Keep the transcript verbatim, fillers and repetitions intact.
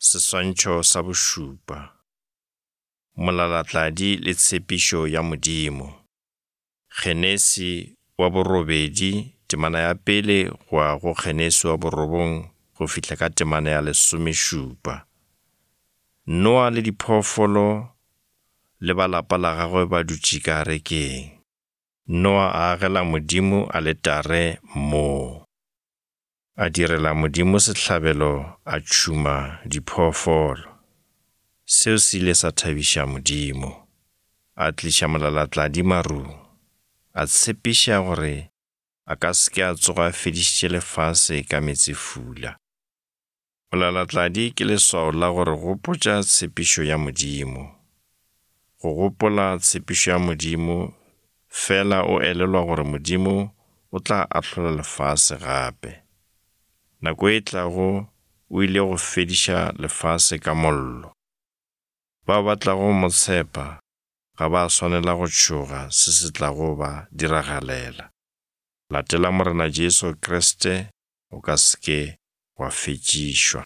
Seswantšho sa bošupa. Molalatladi le tshepišo ya Modimo. Genesi wa borobedi temana ya pele go ya go Genesi wa borobong go fihla ka temana ya lesomešupa. Noa le diphoofolo le ba lapa la gagwe ba dutše ka arekeng. Noa a agela Modimo aletare moo. A direla Modimo sehlabelo a tšhuma diphoofolo. Seo se ile sa thabiša Modimo. A tliša molalatladi marung. A tshepiša gore a ka se ke a tsoga a fedišitše lefase ka meetsefula. Molalatladi ke leswao la gore gopotša tshepišo ya Modimo. Go gopola tshepišo ya Modimo fela o elelwa gore Modimo o tla ahlola lefase gape. Nako e tlago o ile go fediša lefase ka mollo. Bao ba tlago mo tshepa ga ba swanela go tšhoga se se tlago ba diragalela. Latela Morena Jesu Kriste o ka se ke wa fetšišwa.